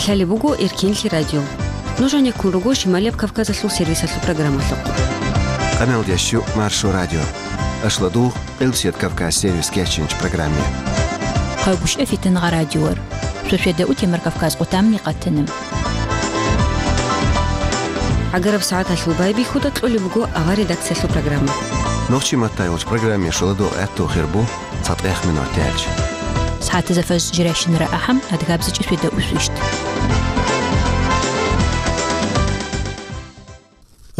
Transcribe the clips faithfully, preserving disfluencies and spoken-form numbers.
Лъалеб буго Эркинлъи радио. Нуж гьанеккун руго Шималияб Кавказалъул сервисалъул программалъухъ. Къамел ящу Маршо радио. Ашладугъ, Къилсият Кавказ сервис кечинч программе. Къагуш эфитан гъа радиор. Сосведа утемар Кавказ къутамни къатана. ГӀагараб сагӀаталъул байбихьуда кьолеб буго авар редакциялъул программа. Нохчи маттай вуч программе шуладугъ гӀатту хирбу. ЦатӀех минут тяч. СагӀатазда фаз жирайщинара ахӀам, адгабзичӀи светда усвищт.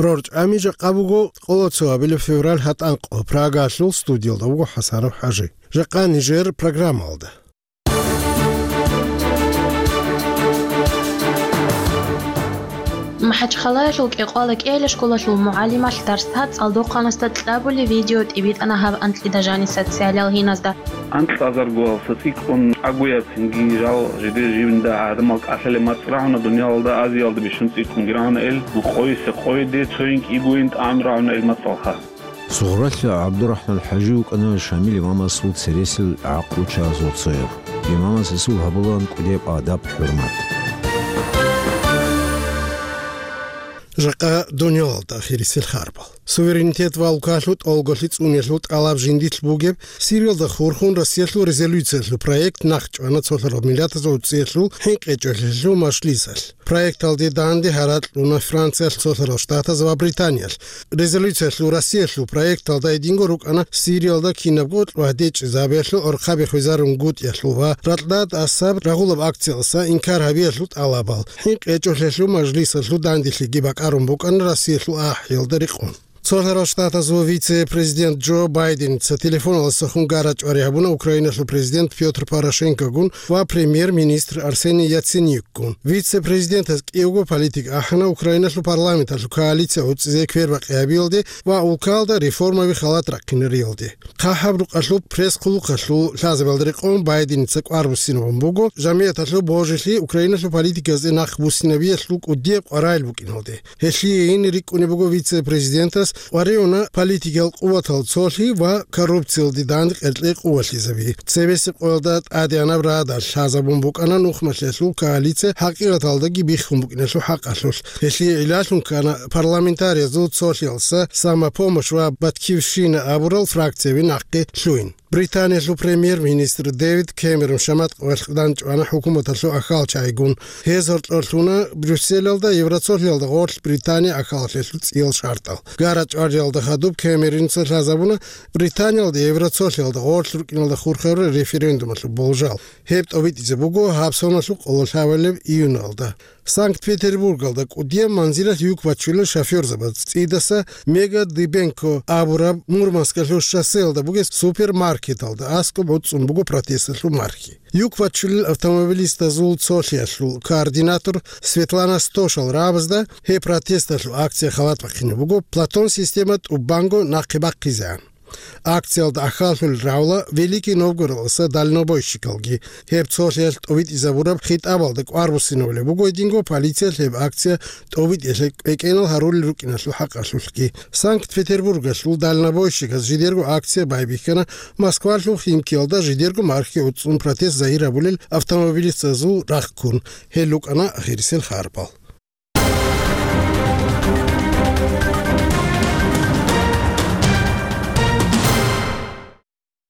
РорчӀами жакъа буго къоло цо абилеб февраль гьатӀанкъо. Прагалъул студиялда вуго ХӀасанов ХӀажи. Жакъа нижер программалда. МахӀачхъалаялъул КӀекъвала кӀиялъа школалъул мугӀалималъ дарсда цӀалдохъанасда кьабулеб видео тӀибитӀана гьаб анкьида жаниса социалиял гьиназда. Анкьазаргоялса цӀикӀкӀун агуяб цинги жал жиде живинда гӀадамал кӀалъалеб мацӀ рагӀуна дуниялалда, Азиялда бищун цӀикӀкӀунги рагӀуна эл, къойисе къойиде, цойин кӀигойин тӀагӀам рагӀуна эл мацӀалха. Сугъралъа ГӀабдурахӀман ХӀажи вукӀана Шамил имамасул цересел гӀакълучагьазул цояв. Имамас гьесул гьабулаан кӀудияб адаб-хӀурмат. Жакъа дуниялалда ахирисел харбал. Суверенитет ва улкалъул тӀолголъи цӀуниялъул тӀалаб жиндилъ бугеб Сириялда хурхун Россиялъул резолюциялъул проект нахъчӀвана цолъарал миллатазул цӀиялъул хӀинкъичӀолъиялъул мажлисалъ. Проекталде данде гьаракь кьуна Франциялъ, Цолъарал Штатаз ва Британиялъ. Резолюциялъул Россиялъул проекталда гьединго рукӀана Сириялда кинабго кьвагьдечӀезабиялъул гӀорхъаби хвезарун гутӀиялъул ва ракьдад асаб рагъулаб акциялдаса инкар гьабиялъул тӀалабал. ХӀинкъичӀолъиялъул мажлисалъул данделъиги бакӀарун букӀана Россиялъул ахӀиялда рекъон. Цолъарал Штатазул вице-президент Джо Байденица телефоналдаса хун гара-чӀвари гьабуна Украиналъул президент Пётр Порошенкогун ва премьер-министр Арсений Яценюкгун. Вице-президентас кӀиявго политика ахӀана Украиналъул парламенталъул коалиция гӀуцӀизе квербакъи гьабиялде ва улкалда реформаби халат рахъинариялде. ХъахӀаб рукъалъул пресс-хъулухъалъул лъазабиялда рекъон Байденица кӀвар буссинабун буго жамигӀаталъул божилъи Украиналъул политикаялде нахъ буссинабиялъул кӀудияб къваригӀел букӀиналде. Гьелъие гьенир рикӀкӀунеб буго вице-президентас къваригӀуна политикиял къуватал цолъи ва коррупциялде данде къеркьей къувалъизаби. Цебесеб къоялда тӀадегӀанаб радал лъазабун букӀана нухмалъиялъул коалиция хӀакъикъаталдаги биххун букӀиналъул хӀакъалъулъ. Гьелъие гӀиллалъун ккана парламентариязул цолъиялдаса «Самопомощь» ва «Батькивщина» абурал фракцияби нахъе лъугьин. Британиялъул премьер-министр Дэвид Кэмерон шамат къвалъ данчӀвана хӀукуматалъул ахалчагӀигун. Гьез гьоркьор лъуна Брюсселалда Евроцолъиялда гъорлъ Британия ахалалъулъ цӀиял шартӀал. Гара-чӀвариялда хадуб Кэмероница лъазабуна Британиялда Евроцолъиялда гъорлъ рукӀиналда хурхарурал референдумалъул болжал. Гьеб тӀобитӀизе буго гьаб соналъул къоло лъабабилеб июналда. Санкт-Петербургалда кӀудияб манзилалъ юк бачулел шофёрзабаз цӀидаса Мега Дыбенко абураб Мурманскалъул шоссеялда бугеб супермаркеталда аскӀоб гӀуцӀцӀун буго протесталъул мархи. Юк бачулел автомобилистазул цолъиялъул координатор Светлана Стошал рагӀабазда гьеб протесталъул акция халат бахъине буго, Платон система тӀубанго нахъе бахъизегӀан. Акциялда ахаллъулел рагӀула Великий Новгородалъуса дальнобойщикалги. Гьеб цолъиялъ тӀобитӀизабураб хитӀабалда кӀвар буссинабулеб буго гьединго полициялъ гьеб акция тӀобитӀиялъе кӀвекӀенал гьарулел рукӀиналъул хӀакъалъулъги. Санкт-Петербургалъул дальнобойщиказ жидерго акция байбихьана Москвалъул Химкиялда жидерго мархи гӀуцӀцӀун протест загьир гьабулел автомобилистазул рахъ ккун. Гьел рукӀана ахирисел харбал.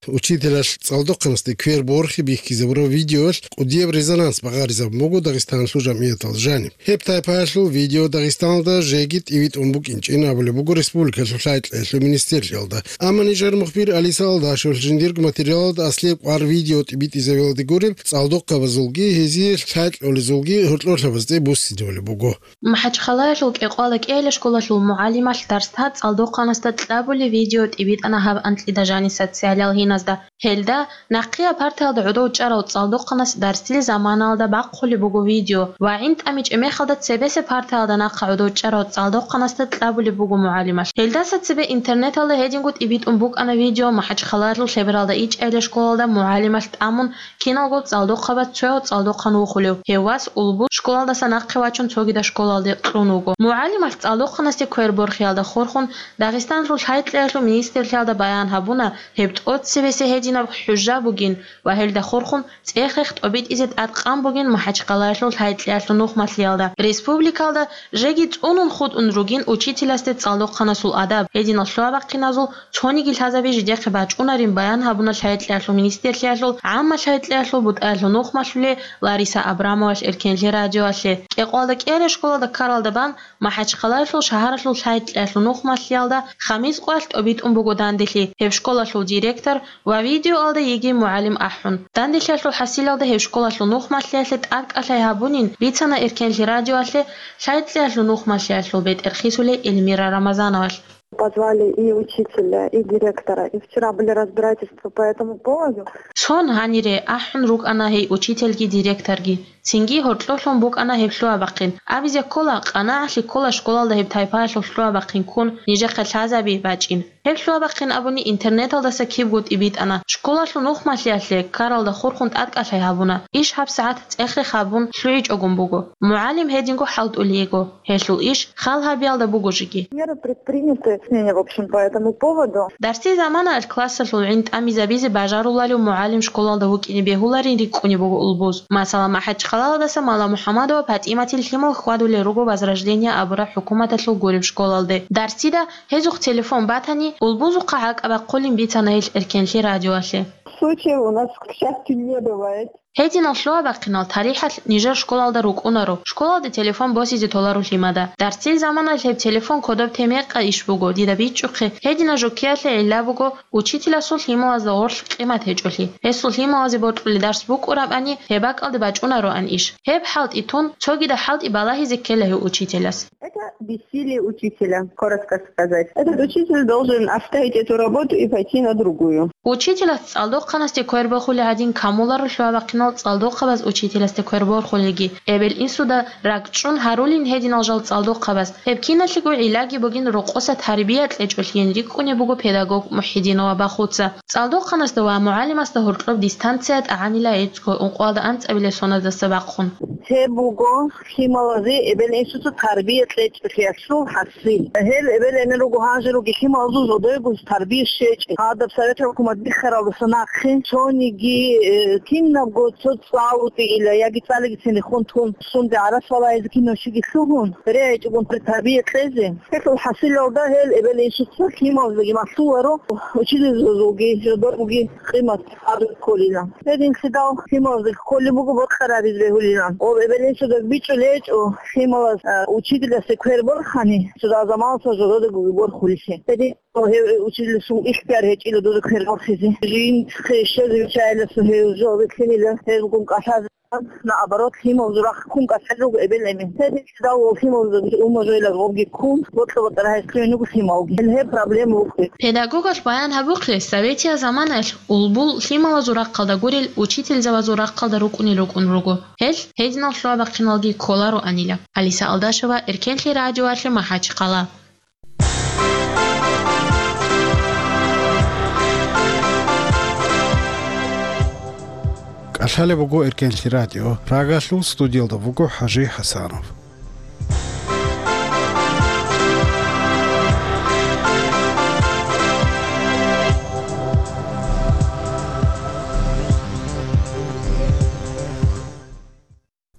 Учителалъ цӀалдохъанасде квер борхи бихьизабураб видеоялъ кӀудияб резонанс багъаризабун буго Дагъистаналъул жамигӀаталда жаниб. Гьеб тайпаялъул видео Дагъистаналда жеги тӀибитӀун букӀинчӀин абулеб буго республикалъул лъай-кьеялъул министрлъиялда. Амма нижер мухбир Алиса Алдашев жиндирго материалалда аслияб кӀвар видео тӀибитӀизабиялде гуреб цӀалдохъабазулги гьезие лъай-кьолезулги гьоркьорлъабазде буссинабулеб буго. МахӀачхъалаялъул КӀекъвала кӀиялъа школалъул мугӀалималъ дарсда цӀалдохъанасда кьабулеб видео тӀибитӀана гьаб анкьида жаниса социалиял гьиназда. Гьелда, нахъея партаялда гӀодов чӀарав цӀалдохъанас дарсил заманалда бахъулеб буго видео ва гӀин тӀамичӀеб мехалда цебесеб партаялда нахъа гӀодов чӀарав цӀалдохъанасда кьабулеб буго мугӀалималъ. Гьелдаса цебе интернеталда гьединго тӀибитӀун букӀана видео МахӀачхъалаялъул Лъебералда ичӀайилла школалда мугӀалималъ тӀамун киналго цӀалдохъабаз цояв цӀалдохъан вухулев. Гьев вас улбу школалдаса нахъе вачун цогидаб школалде кьун вуго. МугӀалималъ цӀалдохъанасде квер борхиялда хурхун Дагъистаналъул лъай-кьеялъул министрлъиялда баян гьабуна, гьеб тӀоцебесеб гьедин кинаб хӀужа бугин ва гьелда хурхун цӀех-рех тӀобитӀизе тӀадкъан бугин МахӀачхъалаялъул лъай-кьеялъул нухмалъиялда. Республикалда жеги цӀунун хутӀун ругин учителасде цӀалдохъанасул адаб. Гьединал лъугьа-бахъиназул цониги лъазаби жидехъе бачӀунарин баян гьабуна лъай-кьеялъул министрлъиялъул гӀамма лъай-кьеялъул бутӀаялъул нухмалъуле Лариса Абрамовалъ Эркенлъи радиоялъе. КӀикъоялда кӀиараб школалда ккаралда бан МахӀачхъалаялъул шагьаралъул лъай-кьеялъул нухмалъиялда Хамис къоялъ тӀобитӀун буго данделъи гьеб школалъул директор ва видеоялда йигей мугӀалим ахӀун. Данделъиялъул хӀасилалда гьеб школалъул нухмалъиялъе тӀадкӀалъай гьабунин бицана Эркенлъи радиоялъе лъай-кьеялъул нухмалъиялъул бетӀер хисулей Эльмира Рамазановалъ. Позвали и учителя, и директора, и вчера были разбирательства по этому поводу. Сон гьанире ахӀун рукӀана гьей учительги директорги. Цинги гьоркьолъун букӀана гьеб лъугьа-бахъин. Абизе ккола, къанагӀалъи ккола школалда гьеб тайпаялъул лъугьа-бахъин ккун нижехъе лъазаби бачӀин. Гьеб лъугьа-бахъин абуни интернеталдаса кибго тӀибитӀана. Школалъул нухмалъиялъе ккаралда хурхун тӀадкӀалъай гьабуна. Иш гьабсагӀат цӀех-рех гьабун лъугӀичӀогун буго. МугӀалим гьединго хӀалтӀулей йиго. Гьелъул иш хал гьабиялда буго жеги. Меры предприняты, мнение, в общем, по этому поводу. Дарсил заманаялъ классалъул гӀин тӀамизабизе бажаруларев мугӀалим школалда вукӀине бегьуларин рикӀкӀунеб буго улбуз. Масала, МахӀачхъалаялдаса Мала МухӀамадова ПатӀиматил лъимал хьвадулел руго Возрождение абураб хӀукуматалъул гуреб школалде. Дарсида гьезухъ телефон батани, улбузухъа гӀакӀаб бахъулин бицана гьелъ Эркенлъи радиоялъе. Случаев у нас, к счастью, не бывает. Гьединал лъугьа-бахъинал тарихӀалъ нижер школалда рукӀунаро, школалде телефон босизе толаро лъимада. Дарсил заманаялъ гьеб телефон кодоб те мекъа иш буго, дида бичӀчӀухъе, гьединаб жуккиялъе гӀилла буго учителасул лъималазда гъорлъ къимат гьечӀолъи. Гьесул лъималазе бокьулеб дарс букӀурабани, гьеб бакӀалде бачӀунароан иш. Гьеб хӀалтӀи тун, цогидаб хӀалтӀи балагьизе ккела гьев учителас. Это бессилие учителя, коротко сказать. Этот учитель должен оставить эту работу и пойти на другую. Учителас цӀалдохъанасде квер борхулел гӀадин камуларо лъугьа-бахъинал цӀалдохъабаз учителасде квер борхулелги. Эбел-инсуда ракӀчӀун гьарулин гьединал жал цӀалдохъабаз. Гьеб киналъего гӀиллаги бугин рокъоса тарбия кьечӀолъиин рикӀкӀунеб буго педагог МухӀидинова Бахуца. ЦӀалдохъанасда ва мугӀалимасда гьоркьоб дистанция тӀагӀанила гӀицӀго ункъоялда анцӀабилеб соназдаса бахъун. Гьеб буго лъималазе эбел-инсуца тарбия кьечӀолъиялъул хӀаси. Гьел эбел-эмен руго гьанже руги лъималазул жодойго тарбия щвечӀеб. Гьадаб Совет хӀукумат биххаралдаса нахъе цониги, э, кинабго цо цӀалутӀила яги цӀалигицин рехун тун, сунде гӀарац балагьизе кинав щиги лъугьун, регӀичӀогун тарбия кьезе. Гьелъул хӀасилалда гьел эбел-инсуца лъималаздаги малъуларо, учительзабазулги жодорги къимат гьабизе кколила. Гьединлъидал лъималазда кколеб буго бокьарабизе бегьулилан. Ва эбел-инсуда бичӀчӀулеб гьечӀо лъималаз, а, учительасде квер борхани, цо заманалъ жододего борхулелъи. Гьедин гьев учительасул ихтияр гьечӀила дуда квер борхизе. Жинцихъе щвезе виччайилан гьев жо бикьинила, гьезулгун кӀалъазе. Наоборот, лъималазул рахъ ккун кӀалъалел руго эбел-эмен. Гьединлъидал лъималазда умумузул гъобги ккун, бокьа-бокьараб гьелъулин руго лъималги. Гьел гьеб проблема вукӀин. Педагогал баян гьабухъе, советиял заманаялъ улбул лъималазул рахъалда гурел учительзабазул рахъалда рукӀунел рукӀун руго. Гьел гьединал лъугьа-бахъиналги кколароанила. Алиса Алдашева, Эркенлъи радиоялъе, МахӀачхъала. КӀалъалеб буго Эркенлъи радио. Прагалъул студиялда вуго ХӀажи ХӀасанов.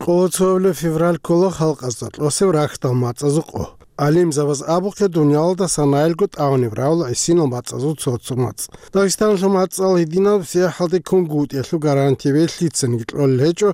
Къоло цоябилеб февраль ккола халкъазда кьосеб рахьдал мацӀазул къо. ГӀалимзабаз абухъе, дуниялалда санаялго тӀагӀунеб равла гӀисинал мацӀазул цо-цо мацӀ. Дагъистаналъул мацӀал гьединаб сахӀалде ккунгутӀиялъул гарантияби лъицаниги кьолел гьечӀо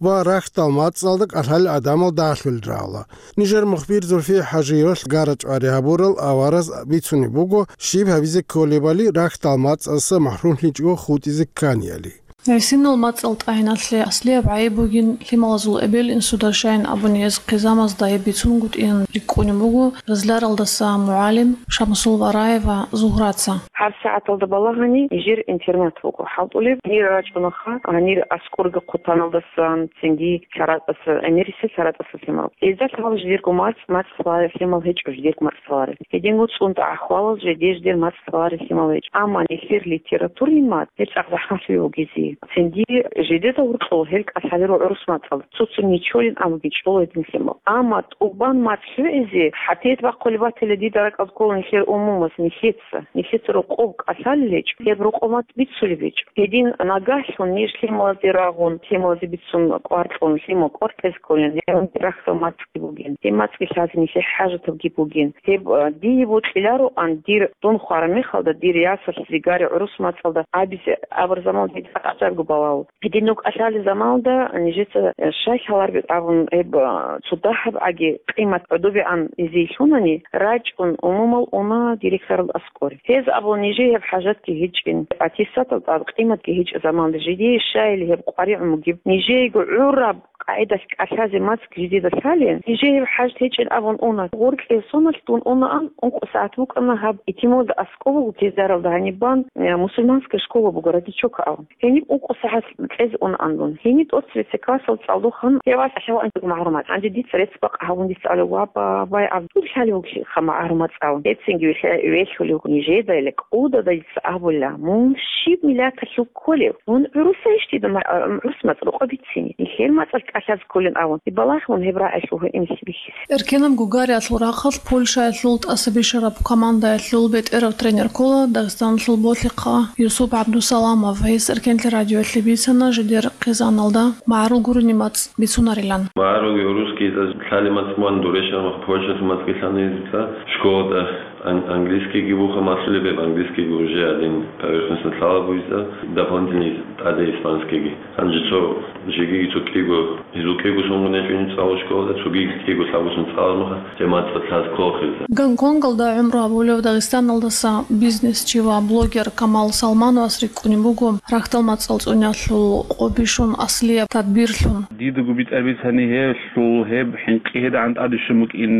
ва рахьдал мацӀалда кӀалъалел гӀадамал дагьлъулел равла. Нижер мухбир Зульфия ХӀажиевалъ гара-чӀвари гьабурал авараз бицунеб буго щиб гьабизе кколебали рахьдал мацӀалдаса махӀрумлъичӀого хутӀизе кканияли. ГӀисинал мацӀал тӀагӀиналъе аслияб гӀайиб бугин лъималазул эбел-инсуда, щайин абуни гьез хъизамазда гьеб бицунгутӀиялъ рикӀкӀунеб буго Разларалдаса мугӀалим Шамсул Вараева Зугьраца. ГьабсагӀаталда балагьани нижер интернат буго хӀалтӀулеб. Гьанир рачӀунаха, гьанир аскӀорги хъутаналдасан, цинги лъаратӀаса, гӀемерисел лъаратӀаса лъимал. Гьезда лъала жидерго мацӀ, мацӀ лъаларел лъимал гьечӀо, жидерго мацӀ лъаларел. Гьединго цӀунтӀа ахӀвалал жеде-жидер мацӀ лъаларел лъимал гьечӀо. Амма нилъер литературный мацӀ, гьеб цӀакъ захӀмалъуе вугезе. Цинги жидеда гьоркьоб гьел кӀалъалел руго гӀурус мацӀалда, цо-цо нечолин абуги чӀола гьединлъи мал. Амма тӀубан мацӀ хӀугӀизе хӀатият бахъулеб батила дида ракӀалда ккола нилъер умумуз, нилъеца, нилъеца рокъоб кӀалъалел гьечӀо, гьеб рокъоб мацӀ бицулеб гьечӀо. Гьедин нагагьлъун ниж лъималазде рагъун, лъималазе бицун кӀвар кьун, лъимал кӀвар кьезе кколин, гьеб рахьдал мацӀги бугин, гьеб мацӀги лъазе нилъее хӀажатабги бугин. Гьеб, а, дие бокьилароан дир, дун хвараб мехалда, дир ясалъ Зигари гӀурус мацӀалда абизе абураб заман дида цӀакъ гӀажабго балагьун. Гьедин нугӀ кӀалъалел заманалда нижеца, э, щай лъалареб абун гьеб, а, цо дагьаб гӀаги къимат гӀодобегӀан гьезие лъунани, рачӀун умумул уна директоралда аскӀоре. Гьез абула нижее гьеб хӀажатги гьечӀин, аттестатал тӀад къиматги гьечӀеб заманалда жидее щайили гьеб къваригӀун бугеб, нижеего гӀураб къагӀидалъ кӀалъазе мацӀ жидеда лъалин, нижее гьеб хӀажат гьечӀин абун уна. Гъоркье соналъ дун унаан, ункъо сагӀат букӀана гьаб итималда аскӀов буго Кизляралда гьаниб бан, э, мусульманская школа буго, Родичок абун. Гьениб ункъо сагӀат кьезе унаан дун. Гьениб тӀоцебесеб классалда цӀалдохъан гьев вац гьаваан магӀарумат. Гьанже дица рецц бакъ гьабун дица абула: «Ва, ба, бай, аб, дур лъалев вугищха магӀарумат», – абун. Гьецинги вихьа-, вехьулев вуго нижеда, гьеле кӀудада дица абула: «Мун щиб миллаталъул кколев? Мун гӀурусайищ дида ма-, а, гӀурус мацӀ рокъоб бицине? Нилъер мацӀалъ кӀалъазе кколин», – абун. Балагьун гьеб рагӀиялъул гьуинлъи бихьи. Эркенаб гугариялъул рахъалъ Польшаялъул тӀасабищараб командаялъул бетӀерав тренер ккола Дагъистаналъул ботлихъа Юсуп ГӀабдусаламов. Гьес Эркенлъи радиоялъе бицана жидер хъизаналда магӀарул гурони мацӀ бицунарилан. МагӀарулги гӀурусги лъалеб мацӀ мун дур рещтӀараб мехалъ Польшалъул мацӀги лъана гьезда. Школада ан-, английскийги буха малъулеб, гьеб английскийги уже гьадин поверхностно лъала бугезда, дополнительный тӀаде испанскийги. Гьанже цо жеги цо кӀиго, гьезул кӀиго соналъ гьечӀони цӀалу школада, цоги кӀиго лъабгосан цӀалармаха, гьеб мацӀ лъаз кколхъизда. Гонконгалда гӀумру гьабулев Дагъистаналдаса бизнесчи ва блогер Камал Салмановас рикӀкӀунеб буго рахьдал мацӀал цӀуниялъул къо бищун аслияб тадбирлъун. Дидаго битӀараб бицани гьелъул гьеб хӀинкъи гьедигӀан тӀаде щун букӀин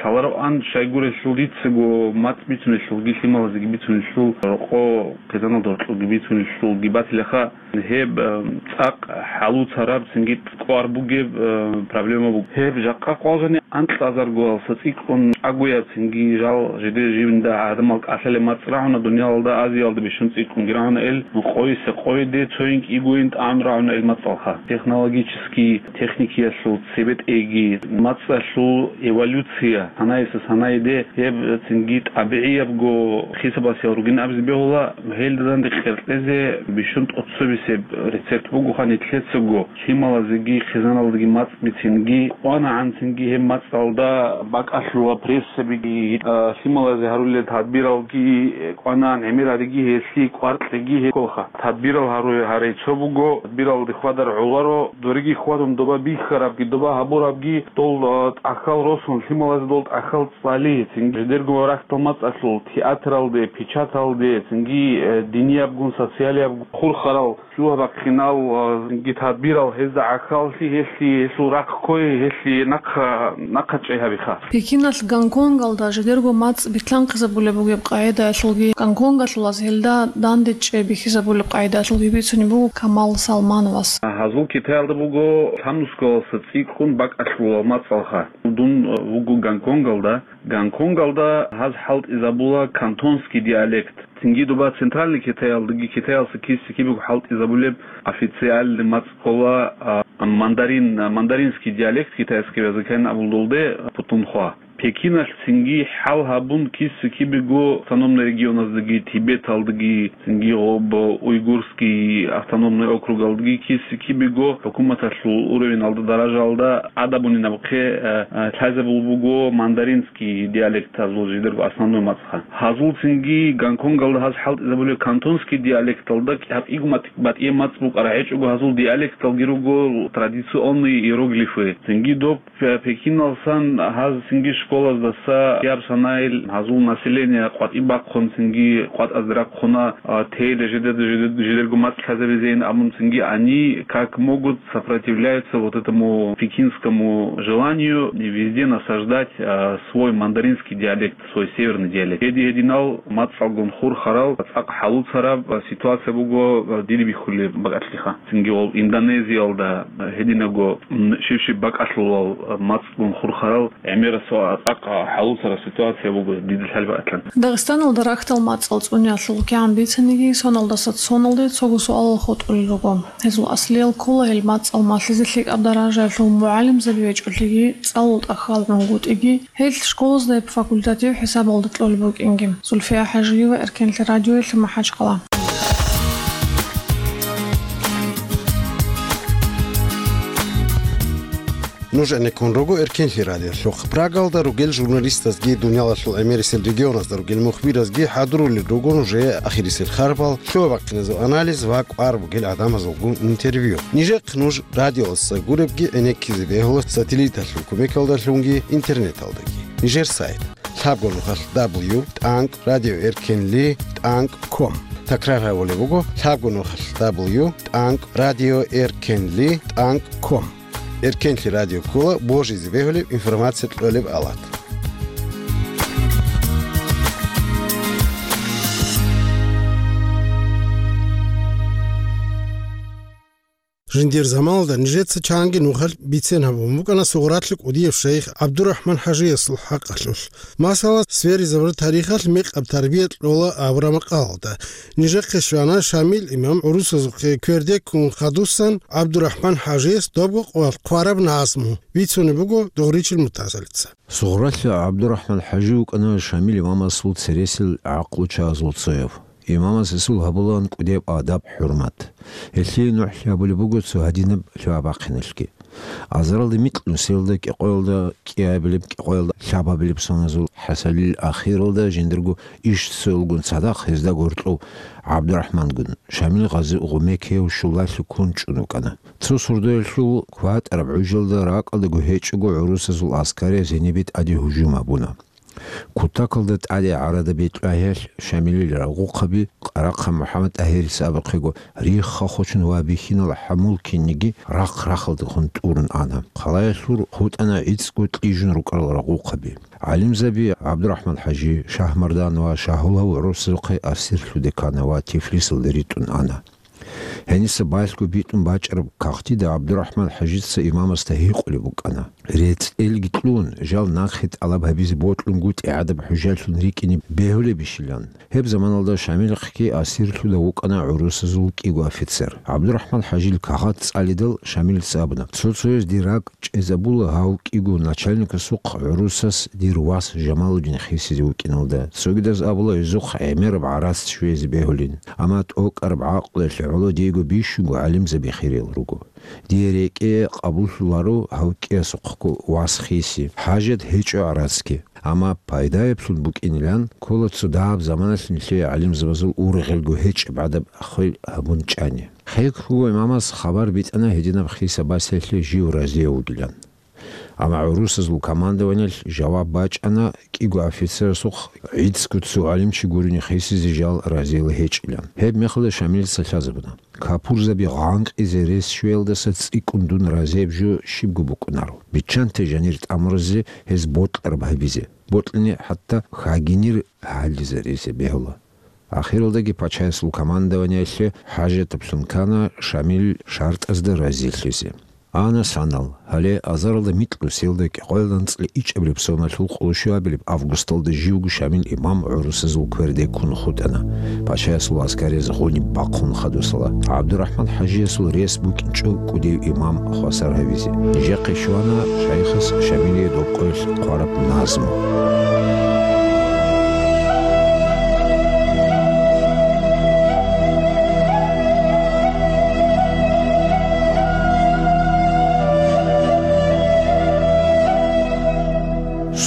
лъалароан, щайгурелъул дицаго мацӀ бицунелъулги лъималазеги бицунелъул рокъо хъизаналда гьоркьобги бицунелъулги батилаха. Гьеб, э, цӀакъ хӀалуцараб, цинги кӀвар бугеб, э, проблема буго. Гьеб жакъа къвалжани анкьазаргоялдаса цӀикӀкӀун чӀагояб, цинги жал жидер живнда гӀадамал кӀалъалеб мацӀ рагӀуна, дуниялалда, Азиялда бищун цӀикӀкӀунги рагӀуна ил, къойиса къойиде, цоян кӀигоян тӀагӀун рагӀуна ил мацӀалха. Технологический, техникиялъул цебетӀейги, мацӀалъул эволюция, санаялдаса санаялде, гьеб цинги тӀабигӀиябго хисабалъ ругин абизе бегьула. Гьелда данде къеркьезе бищун тӀоцебесеб рецепт бугоха нилъецаго, лъималазеги хъизаналдаги мацӀ бицинги, кӀванагӀан цинги гьеб мацӀалда бакӀалъула прессабиги, а, лъималазе гьарулел тадбиралги, кӀванагӀан гӀемерабиги, гьелъие кӀвар кьеги гьекъолха. Тадбирал гьару-, гьарай цо буго, тадбиралде хьвадар гӀоларо, дореги хьвадун доба бихьарабги, доба гьабурабги, дол, а, тӀахьал росун, лъималазе дол тӀахьал цӀали, цинги жидерго рахьдал мацӀалъул, театралде, печаталде, цинги, э, диниябгун, социалиябгун хурхарал, лъугьа-бахъинал, а, цинги тадбирал гьезда гӀахьаллъи, гьелъие, гьелъул рахъ кквей, гьелъие нахъа, нахъа чӀей гьабиха. Пекиналъ Гонконгалда жидерго мацӀ битлъанхъизабулеб бугеб къагӀидаялъулги, гонконгалъулаз гьелда данде чӀей бихьизабулеб къагӀидаялъулги бицунеб буго Камал Салмановас. Гьазул Китаялда буго лъабнусгалдаса цӀикӀкӀун бакӀалъулеб мацӀалха. Дун, э, вуго Гонконгалда. Гонконгалда гьаз хӀалтӀизабула кантонский диалект. Цинги доба Центральный Китаялдаги Китаялдаса киса-кибего хӀалтӀизабулеб официальный мацӀ ккола, а, мандарин, а, мандаринский диалект, китайского языка абулдалде, путунхва. Пекиналъ цинги хӀал гьабун киса-кибего автономный регионаздаги, Тибеталдаги, цинги гъоб уйгурский автономный округалдаги киса-кибего хӀукуматалъул уровеналда, даражаялда ада бунинабухъе, э, э, лъазабул буго мандаринский диалектазул жидерго основной мацӀха. Гьазул цинги Гонконгалда гьаз хӀалтӀизабулеб кантонский диалекталда гьаб кӀиго мат-, батӀияб мацӀ букӀараб гьечӀого, гьазул диалекталги руго традиционные иероглифы. Цинги доб Пе-, Пекиналсан гьаз цинги школаздаса яб санайил гьазул население къватӀиб бахъун, цинги къватӀазде рахъуна, а, тейиле жидеда жидед-, жидерго мацӀ лъазабизейин абун, цинги они как могут сопротивляются вот этому пекинскому желанию везде насаждать, а, свой мандаринский диалект, свой северный диалект. Гьедин-гьединал мацӀалгун хурхарал, цӀакъ хӀалуцараб, а, ситуация буго, а, диде бихьулеб бакӀалъиха. Цинги гъоб Индонезиялда гьединаго, м, щив-щив бакӀалъулал мацӀгун хурхарал гӀемерасул Ахъа хӀалуцараб ситуация буго дида лъалбатлъан. Дагъистаналда рахьдал мацӀал цӀуниялъул кигӀан бицаниги, соналдаса соналде цого суалал хутӀулел руго. Гьезул аслиял ккола гьел мацӀал малъизе лъикӀаб даражаялъул мугӀалимзаби гьечӀолъиги, цӀалул тӀахьал гӀунгутӀиги, гьел школазда гьеб факультатив хӀисабалда кьолеб букӀинги. Зульфия ХӀажиева, Эркенлъи радиоялъе, МахӀачхъала. Нуж гӀенеккун руго Эркенлъи радиолъухъ. Прагалда ругел журналистазги, дуниялалъул гӀемерисел регионазда ругел мухбиразги хӀадурулел руго нужее ахирисел харбал, лъугьа-бахъиназул анализ ва кӀвар бугел гӀадамазулгун интервью. Нижехъ нуж радиоялдаса гуребги гӀенеккизе бегьула сателлиталъул кумекалдалъунги интернеталдаги. Нижер сайт: лъабго нухалъ дабл ю тӀанкӀ радио эркенли тӀанкӀ ком. Такрар гьабулеб буго: лъабго нухалъ дабл ю тӀанкӀ радио эркенли тӀанкӀ ком. Эркенлъи радио ккола божизе бегьулеб информация кьолеб алат. Жиндир заманалда нижеца чанги нухалъ бицен гьабун букӀана Сугъралъа кӀудияб шайх ГӀабдурахӀман ХӀажиясул хӀакъалъулъ. Масала, сверизабураб тарихалъ мекъаб тарбия кьола абураб макъалалда. Нижехъе щвана Шамил имам гӀурусазухъе кверде ккун хадусан ГӀабдурахӀман ХӀажияс добго къоялъ хъвараб назму, бицунеб буго Дугъричил Мутазалица. Сугъралъа ГӀабдурахӀман ХӀажи вукӀана Шамил имамасул цересел гӀакълу чагӀазул цояв. Имамас гьесул гьабулаан кӀудияб адаб-хӀурмат. Гьелъие нухлъи гьабулеб буго цо гьадинаб лъугьа-бахъиналъги. Азаралда микьнусиялда, кӀикъоялда кӀиабилеб, кӀикъоялда лъабабилеб соназул хӀасилил ахиралда жиндирго иш цоялгун цадахъ гьезда гьоркьов ГӀабдурахӀмангун, Шамил гъази гъумекияв щулалъе ккун чӀун вукӀана. Цо сордоялъул кватӀараб гӀужалда ракӀалдаго гьечӀого гӀурусазул аскарияз гьенибе тӀаде гьужум гьабуна. Кутакалда тӀаде гӀарада бетӀлагьиялъ Шамилил рагъухъаби, Къарахъа МухӀаммад ТӀагьирица абухъего, рихха хочун ва бихьинал хӀамул кинниги рахъ-рахъалдехун тӀурун ана. Хъалаялъур хутӀана гӀицӀго кьижун рукӀарал рагъухъаби. ГӀалимзаби ГӀабдурахӀман ХӀажи, Шагьмардан ва Шагьулав гӀурусазухъе асирлъуде ккана ва Тифлисалде ритӀун ана. Гьениса балъго битӀун бачӀараб кагътида ГӀабдурахӀман ХӀажица имамасда гьикъулеб букӀана: «РецӀелги кьун, жал нахъе тӀалаб гьабизе бокьунгутӀи гӀадаб хӀужалъун рикӀкӀине бегьулебищилан?» Гьеб заманалда Шамилахъги асирлъуда вукӀана гӀурусазул кӀиго офицер. ГӀабдурахӀман ХӀажил кагъат цӀалидал Шамилица абуна: «Цо-цояз дир ракӀ чӀезабула гьав кӀиго начальникасухъ гӀурусас дир вас Жамалудин хисизе вукӀиналда. Цогидаз абула гьезухъ гӀемераб гӀарац щвезе бегьулин. Амма тӀокӀараб гӀакълуялъе гӀоло диего бищунго гӀалимзаби хириял руго. Дие рекӀее къабуллъуларо гьав кӀиясухъго вас хиси, хӀажат гьечӀо гӀарацги. Амма пайдаялъун букӀинилан ккола цо дагьаб заманалъ нилъее гӀалимзабазул ургъелго гьечӀеб гӀадаб хвел гьабун чӀани». ХӀекъго имамас хабар битӀана гьединаб хиса басиялъе жив разияв вугилан. Амма гӀурусазул командованиялъ жаваб бачӀана кӀиго офицерасухъ гӀицӀго цо гӀалимчи гурони хисизе жал разиял гьечӀилан. Гьеб мехалда Шамилица лъазабуна: «Капурзаби гъанкъизе рес щвеялдаса цӀикӀкӀун дун разияб жо щибго букӀунаро. Биччанте жанир тӀамуразе гьез бокьараб гьабизе, бокьани хӀатта хагинир гьаллизаризе бегьула». Ахиралдаги пачаясул командованиялъе хӀажатаблъун ккана Шамил шартӀазда разилъизе. Ана санал, гьале азаралда микьнусиялда кӀикъоялда анцӀила ичӀабилеб соналъул къоло щуабилеб августалда живго Шамил имам гӀурусазул кверде ккун хутӀана. Пачаясул аскарияз гъуниб бахъун хадусала, ГӀабдурахӀман ХӀажиясул рес букӀинчӀо кӀудияв имам хвасар гьавизе. Нижехъе щвана шайхас Шамилие добкъоялъ хъвараб назму.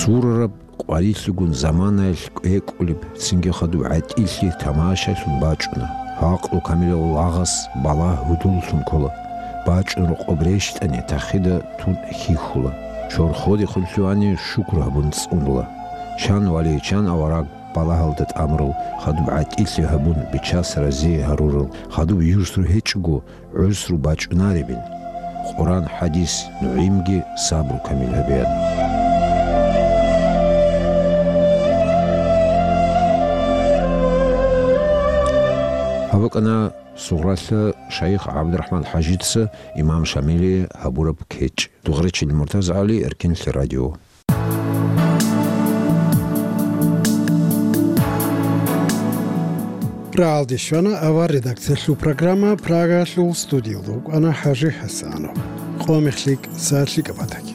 Сурараб къварилъигун заманаялъ кӀвекӀулеб, цинги хадуб гӀатӀилъи тамашалъун бачӀуна. Гьакълу камилав лагъас балагь гьудуллъун ккола. БачӀун рокъоб рещтӀани, тахида тун хьихьула. Чорходехун лъугьани шукру гьабун цӀунула. Чан вали, чан авараг балагьалда тӀамурал, хадуб гӀатӀилъи гьабун, Бичас разие гьарурал, хадуб юсру гьечӀого, гӀусру бачӀунаребин. Къуран, хӀадис, нугӀимги сабру камил гьабеян. Гьаб букӀана Сугъралъа шайх ГӀабдурахӀман ХӀажица имам Шамилие гьабураб кечӀ. Дугъричил МуртазагӀали, Эркенлъи радио. Рагьалде щвана авар редакциялъул программа. Прагаялъул студиялда вукӀана ХӀажи ХӀасанов. Къо мехлъи кӀиса лъикӀаб батаги.